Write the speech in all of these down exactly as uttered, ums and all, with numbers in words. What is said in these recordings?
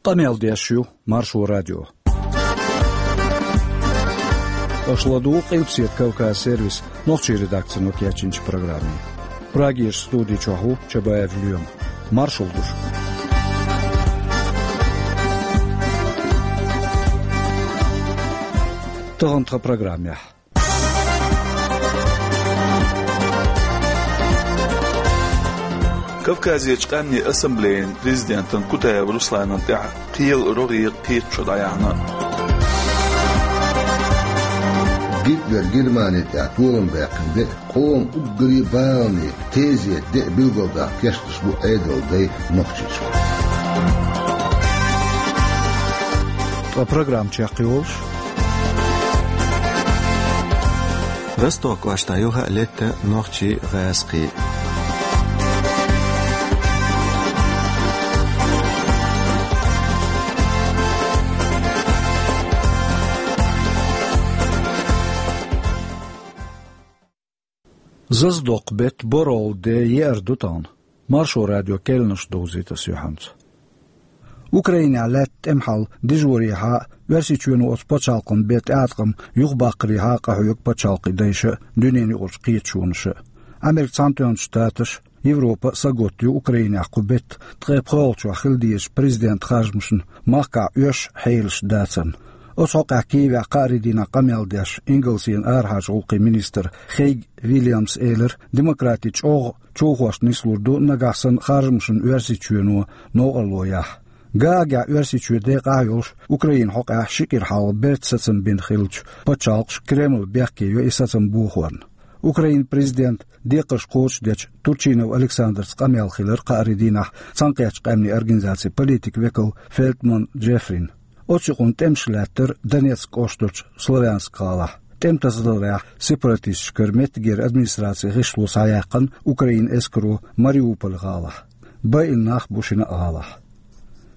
Къамел деш ю Маршо радио. Аша ладугӀу Къилбаседа Кавказ сервисан нохчийн редакцино кечйинчу программе. Прагерчу студи чохь ву Чабаев Лоьма. Маршалла ду шуьга. Тахана тхан программехь. Кавказерчу къаьмнийн ассамблеян президентан Кутаев Русланна тӀехь кхелан рогӀера кхеташо дӀаяьхьна. Гитлера Германи тӀехь толам баьккхина бен, къоман уггаре а баланийн, тезетан де а билгалдаккха кечдеш бу Ӏедалан дай Нохчийчохь. Ткъа программа чекхйолуш. Ростов кӀоштахь юха а летта нохчийн гӀазкхий. Зазадоккху беттан борхӀалгӀа де еара ду тахана. Маршо радион керланаш довзуьйту ас юьхьанца. Украинехь лаьтта тӀеман хьал дижорехьа а, Оьрсийчоьно оцу пачхьалкхана бен тӀеӀаткъам юхабаккхарехьа а къахьоьгу пачхьалкхийн дайша а, дуьненан юкъарчу кхеташонаша а. Америкин Цхьаьнатоьхначу Штаташа, Европа а сагатдо ю Украинехь кху беттан ткъе пхоьалгӀачохь хила дезачу президентан харжамашна махкахь оьшуш хьелаш дацарна. Оцу хьокъехь Киевехь кхаарин дийнахь къамел деш, Ингалсийн арахьарчу гӀуллакхийн министр Хейг Вильямса элира, демократийн чӀогӀа човхошна нислур ду, нагахь санна харжамашна Оьрсийчоьно новкъарло яхь. Гаагехь Оьрсийчоь декъахь а йолуш, Украинан хьокъехь ши кӀира хьалха берта сацам бина хиллачу пачхьалкхаша Кремль бехке йо и сацам бохорна. Украинан президентан декхарш кхочушдечу Турчинов Александрца къамел хилира кхаарин дийнахь Цхьаьнакхеттачу къаьмнийн организацин политикан векал Фелтман Джеффрина. Оцу юкъана тӀемаш лаьттара Донецк кӀоштарчу Славянск гӀалахь. ТӀематасадаларехь сепаратисташкара меттигера администрацин гӀишло схьаяьккхина Украинан эскаро Мариуполь гӀалахь. Байина нах бу шина а гӀалахь.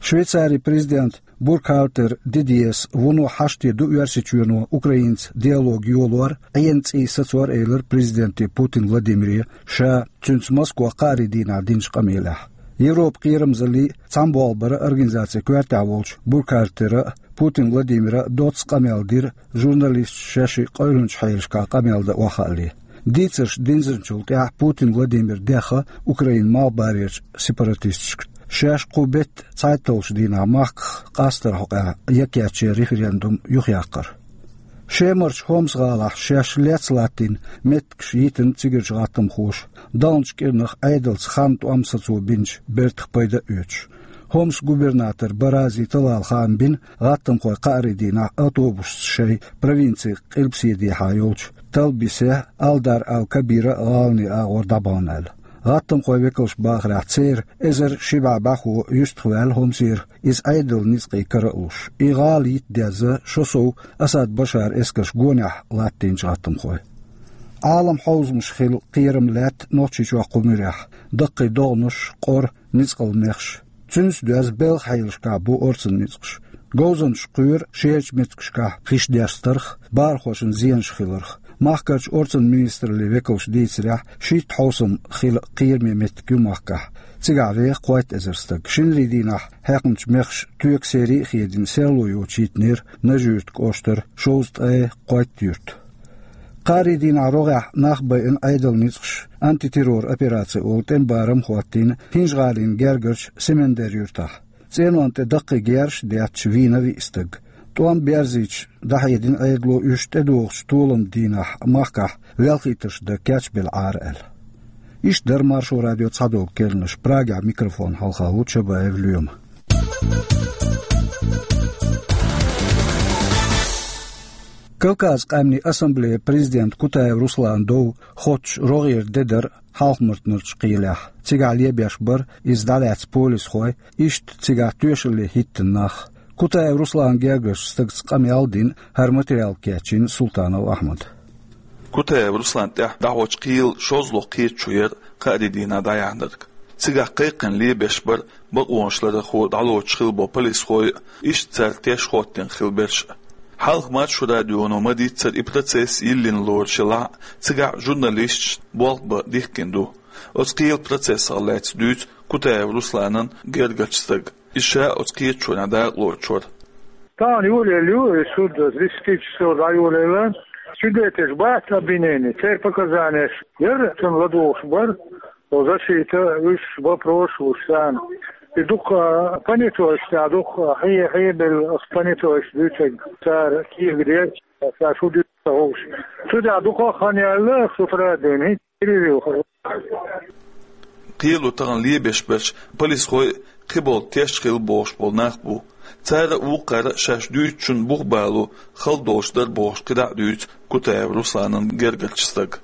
Швейцарин президента Буркхальтер Дидьес вуно хьашт де ду Оьрсийчоьно Украинца диалог йолор, Ӏена цӀий сацор, элира президенте Путин Владимире ша цуьнца Москвахь кхаарин дийнахь динчу къамелехь. Европан кхерамзаллий, цхьаьна болх баран организацин коьртехь волчу Буркхальтера а, Путин Владимира а доцца къамел дира, журналисташа шаьш къевлинчу хьелашкахь къамел дан охьахаале. Дийцарш динзинчул тӀаьхьа Путин Владимира дехна Украинан малхбалерчу сепаратисташка шаьш кху беттан цхьайтталгӀачу дийнахь махках къастаран хьокъехь яккхечеран референдум юхаяккхар. Шемарчу Хомс гӀалахь шаьш лецна латтийна меттигаш йитина цигарчу гӀаттамхоша, далначу кӀирнах Ӏедалца хан тӀом сацо бинчу бертах пайда а оьцуш. Хомс губернатор Барази талала хаам бина, гӀаттамхой кхаарин дийнахь автобусца шайн провинцин къилбаседехьа йолчу Талбисе, Алдар ал-Кабира гӀаланийн агӀор дӀабахна аьлла. ГӀаттамхойн векалша бахарехь, церан эзар ши бӀе бӀаьхо юьстахваьлла Хомсера, иза Ӏедалан ницкъийн кара а луш. И гӀала йита дезна шо сов Асад Башаран эскарш гонехь латтийначу гӀаттамхойн. Ӏалам хьовзамаш хила кхерам лаьтта Нохчийчохь кху муьрехь, даккхий догӀанаш, къора, ницкъала мехаш. Цуьнца доьзна белхан хьелашкахь бу орцан ницкъаш. Говзанчаш кхоьру шерачу меттигашкахь хиш дерш тарх, бахархошна зенаш хиларх. Махкарчу орцан министраллин векалша дийцарехь, шийтта хьовсам хила кхераме меттиг ю махкахь. Цигахь веха кхойтта эзар стаг. Шинарин дийнахь хьаькхначу мехаша тоька серий а хедийна, серло йоцуш йитинера Нажи-Юьртан кӀоштара шовзткъе кхойтта юрт. Кхаарин дийнахь рогӀехь нах байина Ӏедалан ницкъаша антитеррор операци олу тӀеман барам а хӀоттийна ХӀинжа-ГӀалин гергарчу Семендер-Юьртахь. ЦӀенонна тӀе даккхий герзаш а детташ вийна виъ стаг. ТӀом берзийча, дӀахьедина Ӏедало уьш тӀедогӀучу толаман дийнахь махкахь велхийтарш дан кечбелла Ӏара аьлла. Иштта дара Маршо радион цхьадолу керланаш. Прагехь микрофон хьалха ву Чабаев Лоьма. Кавказан къаьмнийн ассамблеян президент Кутаев Русланан дов хоттуш рогӀера де дара Хьалха-Мартанарчу кхелехь. Цигахь лебеш бара иза дӀалаьцна полисхой, иштта цигахь тоьшалле хӀиттина нах. Кутаев Русланан гергарчу стагца къамел а дина, хӀара материал кечйина Султанов Ахьмада. Кутаев Русланна тӀехь дӀахьочу кхелан шозлагӀа кхеташо яра кхаарин дийнахь дӀаяьхьнарг. Цигахь кхайкхина лебеш бара бакъонаш ларъярхо дӀалоцуш хилла болу полисхой а, иштта цара теш хӀоттийна хилла берш а. Хьалха Маршо радионо ма-дийццара и процесс йиллина лоруш елахь а, цигахь журналисташна болх бан дихкина ду. Оцу кхелан процессах лаьцна дуьйцу Кутаев Русланан гергарчу стага. Иза ша оцу кхеташонехь дакъалоцуш вара. Тахана йолаелла ю и суд, десять часов дӀайолаелла. Свидетелаш бац обвинения, церан показанеш яра цунна ладугӀуш бара. Оцу защита уьш бан прошлуш царна. И дукха понятойш, цхьа дукха хье-, хьебелла оцу понятойш дуьйцург цара кехат дерг, ша шу дуьйцу ца хууш. Цу тӀехь дукха хан яьлла, шу традийна, хӀинца телевизор. Кхело тахана лебеш берш полисхой а, кхин болу теш хилла бохуш болу нах бу. Цара а, вукхара а шаьш дуьйцучунна бух бало хала долуш дара бохуш кхидӀа а дуьйцу Кутаев Русланан гергарчу стага.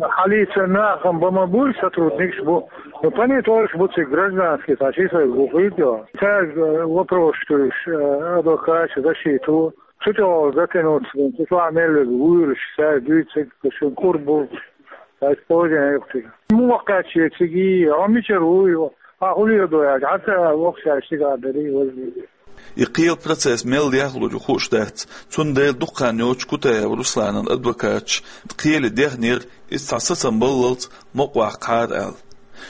Хьалийца нахам бан ма буй, сотрудникаш бу. Ну, понятойш бу цига, гражданский, цхьа ши сайга бу хир ду. Цаьрга, э, вопрос туьйсуш, э, адвокаташа, защита. Цу тӀехь затянуться, цу чохь мел верг вуьйлуш, ша дуьйцург, шун кур бу, ша стожен юхтиг. Муха кхаьчча цига, хьо мичара вуй, хьан хӀун леладо аьлча, хьан ца воккхача стигахь дарий, важа. И кхелан процесс мел дехлур ю хууш дац, цундела дукха хан йоцуш Кутаев Русланан адвокаташ кхеле дехнера иза цхьа сацам баллалц мукъаваккхахьара аьлла.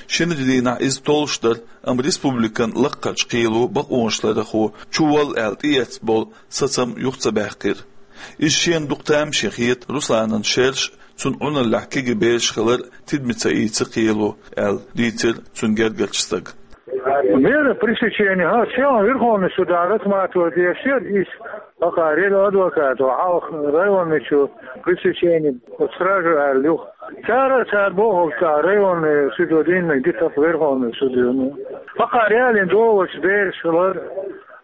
Шинарин дийнахь иза толлуш дара, амма республикан лаккхарчу кхело бакъонашларъярхо чуволла аьлла тӀеэцна болу сацам юха ца баьккхира. Иза шена дукха тамашийна хета Русланан шераш а, цунна Ӏуналлехь кегий бераш хилар а тидаме ца ийцира кхело, аьлла дийцира цуьнан гергарчу стага. Мера пресечения, хӀа, сел Верховный суда рассматривать деш яра иза, хӀокхара елла адвокато хьалха районный чу пресечение, оцу стража аьлла юха. Цара а цара бохург цхьа районный судо дийна, дитарх Верховный судо. ХӀокхара ялийна долучу бераш хилар,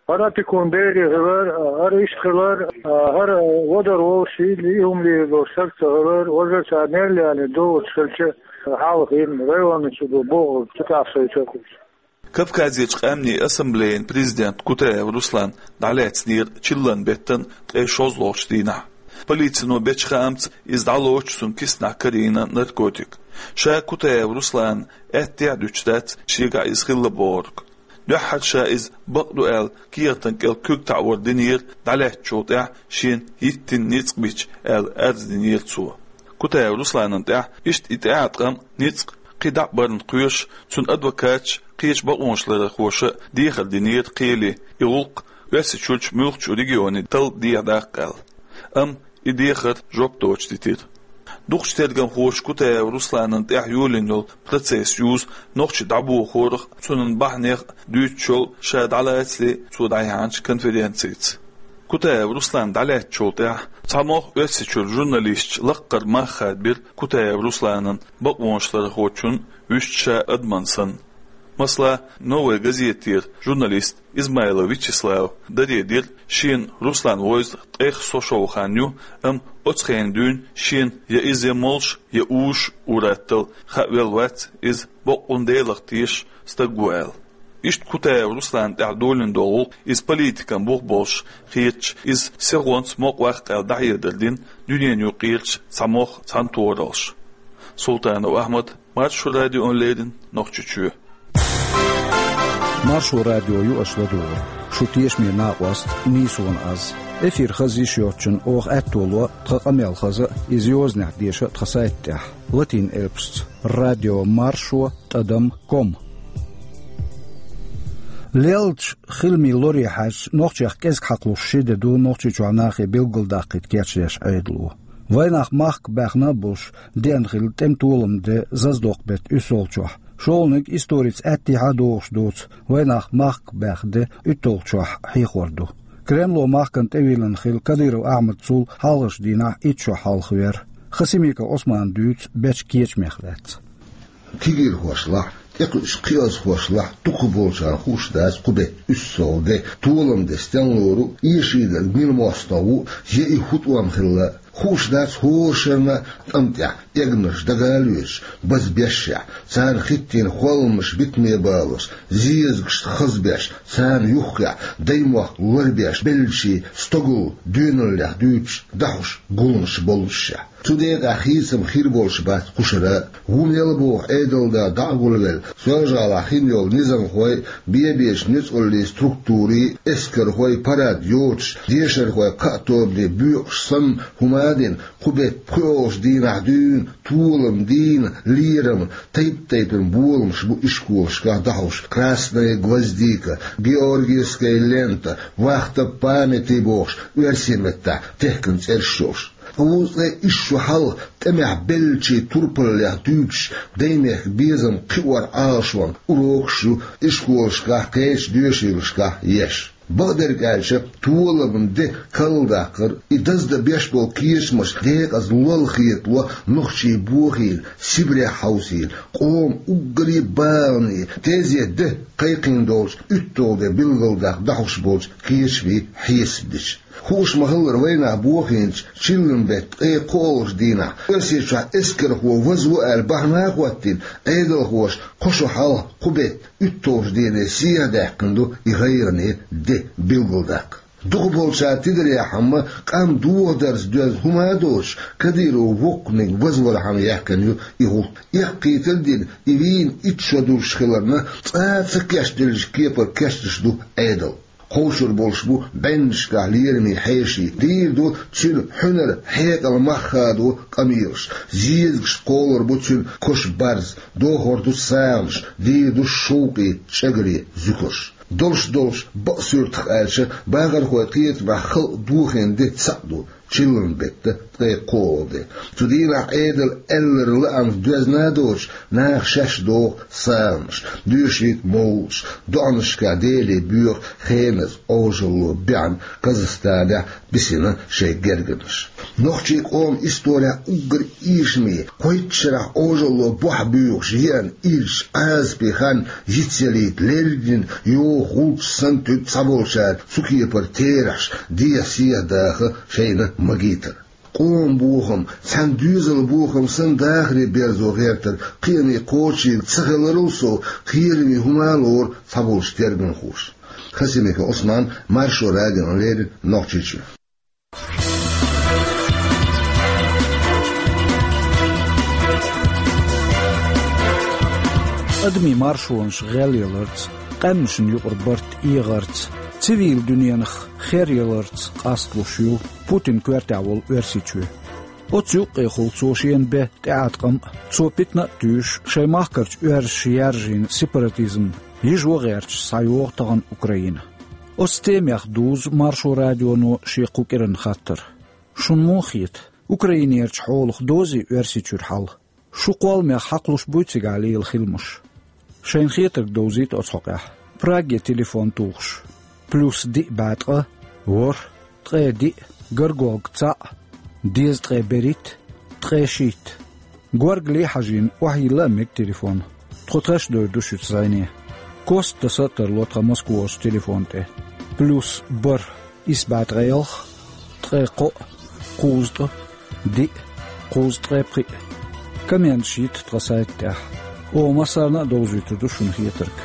хӀара опекун берий хилар, хӀара иштта хилар, хӀара вадар волуш, и хӀума лийр долуш стаг ца хилар, важа цара мел ялийна долучу хилча, хьалха йина районный судо бохург цу тӀехь шайн чекхуш. Кавказерчу къаьмнийн ассамблеян президент Кутаев Руслан дӀалаьцнера чиллан беттан ткъе шозлагӀчу дийнахь. Полицино бечу хаамца иза дӀалоцуш цуьнан киснахь карийна наркотик. Ша Кутаев Руслана аьттехьа дуьтуш дац шегахь иза хилла бохург. Дуьххьара ша иза бакъ ду аьлла кехатан кӀел куьг таӀор динера дӀалаьцначул тӀаьхьа шена йиттина ницкъ бича аьлла арз динера цо. Кутаев Русланна тӀехь иштта и тӀеӀаткъам, ницкъ кхин дӀа а барна кхоьруш, цуьнан адвокаташа, кхечу бакъонашларъярхоша а дехар динера кхеле, и гӀуллакх Оьрсийчуьрчу муьлххачу регионе талла дехьадаккха аьлла. Амма и дехар жоп доцуш дитира. Дукхачу тергамхоша Кутаев Русланна тӀехь йолийна йолу процесс юзу нохчий дӀабохорах а, цуьнан бахьанех а дуьйцуш йолу ша дӀалацале цо дӀаяьхьначу конференцица. Кутаев Руслан дӀалаьцначул тӀаьхьа цхьамогӀа Оьрсийчуьра журналисташ лаккхара мах хадабира Кутаев Русланна бакъонашларъярхочун вуьшта ша адамна санна. Масала, «Новая газетера» журналист Измайлов Вячеслава даре дира, шена Руслан вевза ткъех со шо хан ю, амма оцу хенахь дуьйна шена я иза я молуш, я уьш ур-атталла, хаа велла вац иза боккъалла Делах тешаш стаг ву аьлла. Иштта Кутаев Русланна тӀехь долийна долу гӀуллакх иза политикан бух болуш хеташ, иза сихонца мукъаваккха аьлла дӀахьедар дина дуьненан юкъарчу цхьамогӀа цхьаьнатохараллаша. Султанов Ахьмад, Маршо радиона леррина, Нохчийчоь. Маршо радио ю аша ладугӀург. Шу тешаме накъост, нийсонан аз. Эфир хаза йиш йоцчунна оха аьтто ло тхан къамел хаза а, иза йозанехь деша а тхан сайта тӀехь, латин элпашца: радио маршо тӀадам ком. Лелачу хиламийн лоре хьаьжча, нохчех кӀезиг хьакхалуш ши де ду Нохчийчохь нахе билгалдаккхийта кечдеш Ӏедало. Вайнах махка баьхна а болуш, деана хилла тӀеман толам де заздоккху беттан уьссалгӀачохь, шолгӀаниг историца аьттехьа а догӀуш доцу вайнах махка баьхна де уьтталгӀачохь хьехор ду. Кремло махкана тӀевиллина хилла Кадыров Ахьмад цул хьалхарчу дийнахь итт шо хьалха вера. Хасимиков Ӏусмана дуьйцу бечу кечамех лаьцна. Кегийрхошлахь, тӀекхуьуш кхиазхошлахь, дукхахболчарна хууш дац кху беттан уьссалгӀа де, толам де стенна лору, эшийна мила мостагӀа ву, я и хӀун тӀом хилла. Хууш дац хӀора шарна тӀам тӀехь эгнаш дагавоьдуш, базбешшехь, царна хӀиттийна холламаш битаме балош, зезагашна хазбеш, царна юххехь даймохк лорбеш, беллачийн стогалла доьналлех дуьйцуш, дахьуш гуллуш боллушехь. Цу декъехь хийцам хир болуш бац кхушара, ву мел боху Ӏедалда дӀа а гулвелла, Соьлжа-ГӀалахь хин йолу низамхой, бен-бечу ницкъаллийн структурийн эскархой парад йоцуш, дешархой кхаа тобане боькъуш санна, хӀума Ӏадина, кху беттан пхоьалгӀачу дийнахь дуьйна толам, дийна лерам, тайп-тайпана боламаш бу ишколашкахь дӀахьош: «Красная гвоздика», «Георгиевская лента», «Вахта памяти» бохуш, оьрсийн меттахь техкан цӀераш йолуш. Ткъа вукху ткъе исс шо хьалха тӀамехь беллачийн турпаллех дуьйцуш, даймехкан безам кхиоран Ӏалашонан урокаш ю ишколашкахь, кхечу доьшийлашкахь еш. Бакъдерг аьлча, толаман де карладаккхар, и даздан беш болу кечамаш декъаза лолла хетало нохчийн бохийна, Сибрехь хьовсийна, къоман уггаре а бахархойн тезет де кхайкхийна долчу уьтталгӀа де билгалдаккха дӀахьош болчу кечамийн хьесап дича. Хууш ма-хиллара, вайнах бохийначу чиллан беттан ткъе кхоалгӀачу дийнахь, Оьрсийчохь эскархо вазву аьлла бахьана а хӀоттийна, Ӏедалхоша кхо шо хьалха кху беттан уьтталгӀачу дене сехьадаьккхина ду и гӀайгӀане де билгалдаккха. Дукхахболчара тидарехь-м, къам дохадарца доьзна хӀума а доцуш, Кадыровн воккханиг вазвархьама яьккхина ю и гӀуллакх. Эккхийтар а дина, и вийна итт шо долуш хиларна, цкъа а ца кечделлачу кепара кечдеш ду Ӏедал. Кховшур болуш бу бӀеннашкахь лерамийн хьеший, дийр ду цуьнан хьуьнар, хьекъал, мах хадо къамелаш, зезагашка кхолур бу цуьнан кош-барз, дохур ду сагӀанаш, дийр ду шовкъе, чӀагаре зуькарш. Долуш-долуш, бакъ суьртах аьлча, бахархойн кхетамехь халкъ дохийна де цхьаъ ду: чиллан беттан ткъе кхоалгӀа де. Цу дийнахь Ӏедалан аьлларг лаамца доьзна а доцуш, наха шаьш доху сагӀанаш, доьшийта мовлудаш, доӀанашкахь Деле боьху хеназа, Ӏожалло беана Казахстанехь бисина шайн гергарнаш. Нохчийн къоман исторехь уггар эшаме, кхойтта шарахь Ӏожалло бохь боьхуш еана ирча Ӏазапе хан йицъялийта леррина йоху гӀулчаш санна, туьйцу цхьаболчара цу кепара терахьаш дехьа-сехьа даха шайна магийтар. Къоман бохам, цхьана доьзалан бохам санна дахаре берзо гӀертар кхиаме кхочушдийр ца хиларал сов, кхераме хӀума а лору цхьаболчу тергамхоша. Хасимиков Ӏусман, Маршо радиона леррина, Нохчийчоь. Адамийн маршонаш гӀелъяларца, къаьмнашна юкъара барт эгӀарца, цивил дуьненах херъяларца къасталуш ю Путинан коьртехь волу Оьрсийчоь. Оцу юккъехула цо шена бен тӀеӀаткъам а, цо питана а туьйсуш, шайн махкарчу оьрсаша яржийна сепаратизм йижо гӀерташ схьайогӀу тахана Украина. Оцу темех дузу Маршо радионо шен кху кӀиранан хаттар. Шуна муха хета, Украинерчу хьолах дозий Оьрсийчуьра хьал? Шун кхолламех хьакхалуш буй цигахь лела хиламаш? Шайна хетарг довзийта оцу хьокъехь. Праге телефон тухуш: плюс диъ бӀе ткъа, ворхӀ, ткъе диъ, горгӀалгӀа цхьаъ, дезткъе берхӀитта, ткъе шийтта. ГоргӀале хьажийна охьайилла а мега телефон. Тхо тхаьш дойр ду шуьца зӀене. Кост таса а тарло тхан Москварчу телефон тӀе. Плюс бархӀ, исс бӀе ткъе ялх, ткъе кхоъ, кхузткъа, диъ, кхузткъе пхиъ. Комменташ йита тхан сайта тӀехь. Оха массарна а довзуьйтур ду шуна хетарг.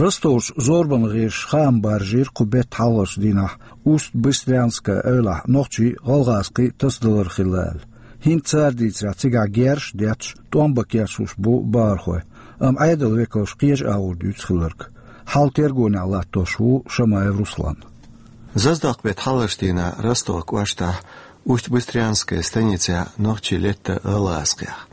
Ростовчу зорбанан гӀирсаша хаам баржийра кху беттан хьалхарчу дийнахь Усть-Быстрянская эвлахь нохчий, гӀалгӀазкхий тасадалар хилла аьлла. ХӀинца цара дийцарехь, цигахь герзаш а детташ, тӀом бан кечлуш бу бахархой, амма Ӏедалан векалша кхечу агӀор дуьйцу хилларг. Хьал тергонехь латтош ву Шамаев Руслан. Заздоккху беттан хьалхарчу дийнахь Ростован кӀоштахь Усть-Быстрянская станицехь нохчий летта гӀалгӀазкхех.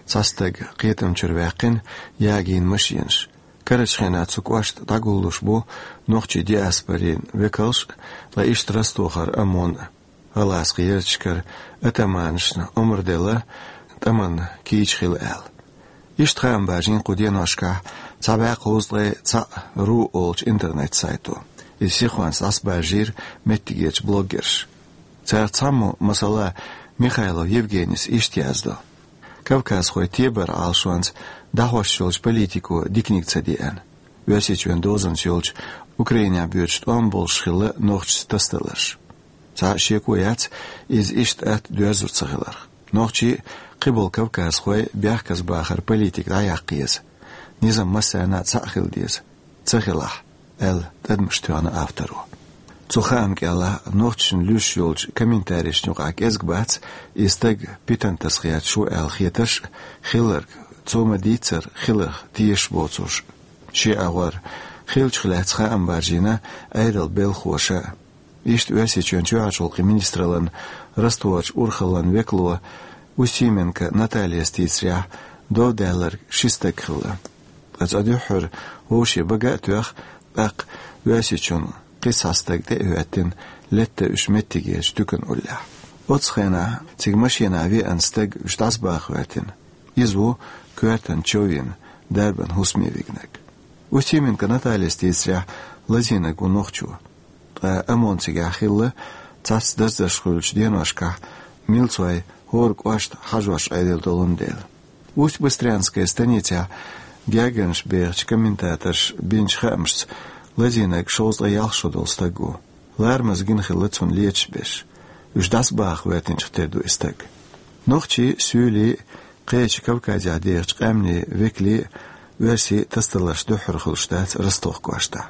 Цхьа стаг кхетам чуьра ваьккхина, ягийна машенаш. Карарчу хенахь цу кӀошта дӀагуллуш бу нохчийн диаспорин векалш а, ткъа иштта Ростовхара ОМОН а. ГӀалгӀазкхийн ярташкара атаманашна омра делла тӀаман кийча хила аьлла. Иштта хаам бажийна кху деношкахь цхьа бӀе кхузткъе цхьаъ ру олучу интернет-сайто. Иза сихонца дӀасабаржийра меттигерчу блогерша. Царах цхьаммо, масала, Михайлов Евгенис иштта яздо: Кавказхойн тебаран Ӏалашонца дӀахьош йолчу политико диканиг ца деана. Оьрсийчоьнан дозанца йолчу, Украинехь боьдуш тӀом болуш хилла нохчашца тасадаларш. Цхьа а шеко яц иза иштта атта доьрзур ца хиларх. Нохчий а, кхиболу кавказхой а бехказбахаран политика дӀаяккха еза. Низам массарна а цхьаъ хила деза, ца хилахь, аьлла тӀадамаш тоьхна авторо. Цу хаамна кӀел нохчашна луьйш йолчу комментарийшна юкъахь кӀезиг бац и стаг питана таса гӀерташ ву аьлла хетарш а, хилларг цо ма-дийццара хиларх тешаш боцурш а. Ши агӀор хиллачух лаьцна хаам баржийна Ӏедалан белхалоша. Иштта Оьрсийчоьнан чоьхьарчу гӀуллакхийн министраллан Ростоварчу урхаллан векало Устименко Натальяс дийцарехь, дов даьлларг ши стаг хилла. Ткъа цкъа дуьххьара вовшийн бага а тоьхна, тӀаккха Оьрсийчоьнан кхин цхьа стаг тӀе а хӀоьттина, летта уьш меттигерчу туьканан уллехь. Оццу хенахь цига машинахь веана стаг уьш дӀасабаха хӀоьттина. Иза ву коьртана чов йина, дарбан хӀусаме вигнарг. Устименко Натальяс дийцарехь, лазийнарг ву нохчо. Ткъа ОМОН цигахь хилла, цхьацца даздарш хуьлучу деношкахь милцой хӀора кӀошта хьажош Ӏедал долун дела. Усть-Быстрянская станицехь гергарнаш бехачу комментаторша бинчу хаамашца, лазийнарг шовзткъе ялх шо долу стаг ву. Ларамаза гина хилла цунна леташ берш. Уьш дӀасабаха хӀоьттинчух тера ду и стаг. Нохчий, суьйлий, кхечу Кавказехь дехачу къаьмнийн векалий оьрсийн тасадаларш дуьххьара хуьлуш дац Ростов кӀоштахь.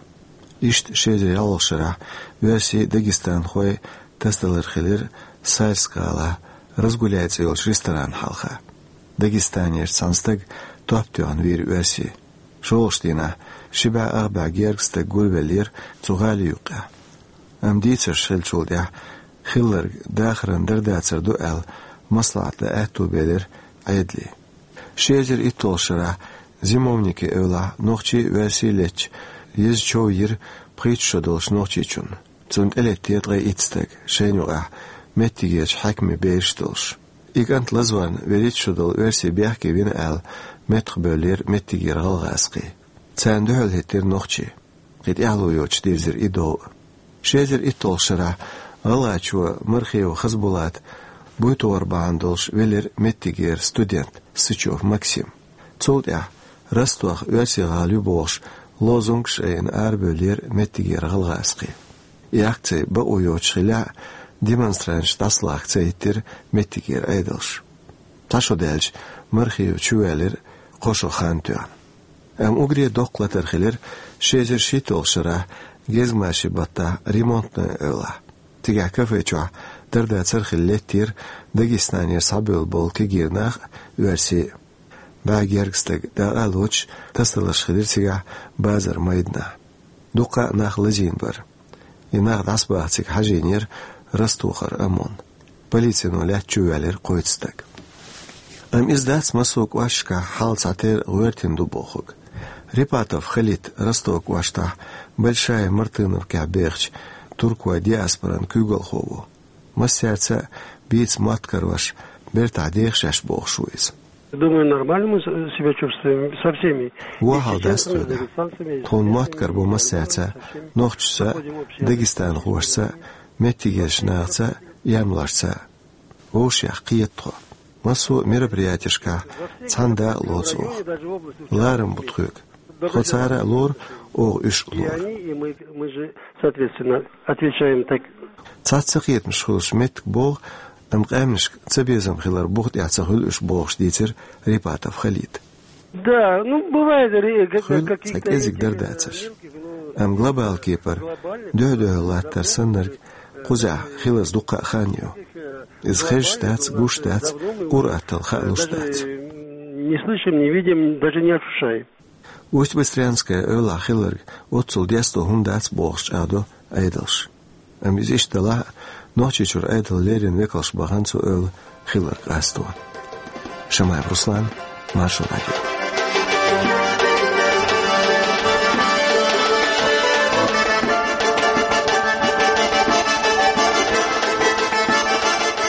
Иштта ши эзар ялхалгӀачу шарахь оьрсийн, дагестанхойн тасадалар хилира Сальск-гӀалахь «Разгуляй» цӀе йолчу ресторанна хьалха. Дагестанерчу цхьана стага топ тоьхна вийра оьрси. ШолгӀачу дийнахь ши бӀе ах бӀе гергга стаг гулвеллера цу гӀали юккъехь. Амма дийцарш хиллачул тӀаьхьа хилларг дахаран дардацар ду аьлла, маслаӀат дан аьтто белира Ӏедале. Ши эзар итталгӀачу шарахь Зимовники эвлахь нохчий а, оьрсий а летча, еза чов йира пхийтта шо долчу нохчичунна. Цунна тӀелеттера ткъе итт стаг, шайна юкъахь меттигерчу хьаькамийн бераш а долуш. И кӀант лазорна вуьрхӀитта шо долу оьрси бехке вина аьлла, меттахбевллера меттигера гӀалгӀазкхий. Царна дуьхьал хӀиттира нохчий. Кхин тӀаьхьало йоцуш дирзира и дов а. Ши эзар итталгӀачу шарахь гӀалгӀачо Мархиев Хасбулата буй тохар бахьана долуш велира меттигера студент Сычев Максим. Цул тӀаьхьа Ростовах оьрсийн-гӀала ю бохуш лозунгаш айина арабевллера меттигера гӀалгӀазкхий. И акци бакъо йоцуш хиллехь а, демонстранташ дӀасалахка ца хӀиттира меттигера Ӏедалш. Цхьа шо даьлча Мархиев чувоьллира, кхо шо хан тоьхна. Амма уггаре доккха латар хилира ши эзар шийтталгӀачу шарахь Гезгмашин баттахь Ремонтное эвлахь. Цигахь кафе чохь дарда цархилла леттера Дагестанера схьабевлла болу кегий нах а, оьрсий а. БӀе гергга стаг дакъа а лоцуш, тасадаларш хилира цигахь базар-майданахь. Дуккха а нах лазийна бара. И нах дӀасабаха цига хьажийнера Ростовхара ОМОН. Полицино лаьтта чувоьллира кхойтта стаг. Амма иза дац массо а кӀошташкахь хьал цхьатерра гӀоьртина ду бохург. Репатов Халит Ростов кӀоштахь Большая Мартыновкехь бехачу туркойн диаспоран куьйгалхо ву. Массаьрца а бийца мотт карош, бертахь деха шаьш бохуш ву иза. Думаю, нормально мы с- себя чувствуем со всеми. Вон хьал дац тхуна. Тхуна мотт карабо массаьрца, нохчашца, дагестанхошца, меттигерчу нахаца, январца. Вовшех кхета тхо. Массо а мероприятешкахь цхьана дакъа лоцу оха. Ларам бу тхоьга. Тхо цара а лору, оха уьш а лору. И они, и мы, мы же, соответственно, отвечаем так. Цхьацца кхетамаш хуьлуш меттиг богӀу, амма къаьмнашка цабезам хилар буха тӀехь ца хуьлу уьш бохуш дийцира Репатов Халита. Да, ну, бывает, ре- как- Хуьлу, какие-то цхьа кӀезиг дар дацарш. Амма глобал кепара дуьхь-дуьхьал латтар саннарг кхузахь хиларца дуккха а хан ю. Иза хезаш дац, гуш дац, къуръаттал хаалуш дац. Не слышим, не видим, даже не ощущаем. Усть-Быстрянская эвлахь хилларг оццул десто хӀума дац бохуш чӀагӀдо Ӏедалш. Амма иза иштта делахь а, Нохчийчуьра Ӏедалан леррина векалш бахана цу эвла хилларг къасто. Шамаев Руслан, Маршо радио.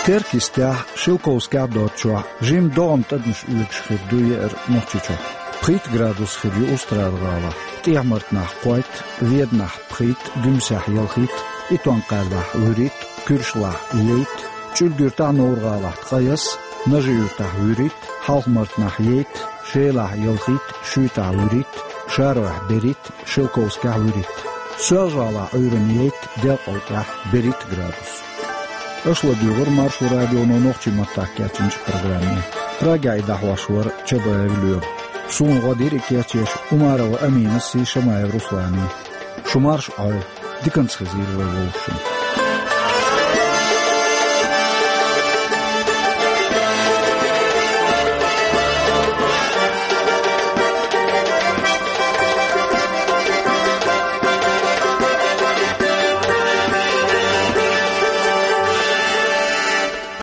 Теркйистехь, Шелковскехь доцчохь жимма догӀма тӀадамаш оьгуш хир ду еара Нохчийчохь. Пхийтта градус хир ю Устрада-гӀалахь, ТӀехьа-Мартанахь кхойтта, Веданахь пхийтта, Гуьмсехь ялхитта, Итон-Кхаьллахь вуьрхӀитта, Куьршалахь ейтта, ЧӀуьрг-Юьртахь, Новр-гӀалахь ткъаесна, Нажи-Юьртахь вуьрхӀитта, Хьалха-Мартанахь ейтта, Шелахь ялхитта, Шуьйтахь вуьрхӀитта, Шарахь берхӀитта, Шелковскехь вуьрхӀитта. Соьлжа-ГӀалахь Ӏуьйранна ейтта, Делкъал тӀехь берхӀитта градус. Аша ладуьйгӀира Маршо радионо нохчийн маттахь кечйинчу программе. Прагехь и дӀахьош вара Чабаев Лоьма. Суна гӀо дира и кечъеш Умарова Аминас а, Шамаев Русланас а. Шу марша Ӏойла, диканца хезийла вай вовшашна.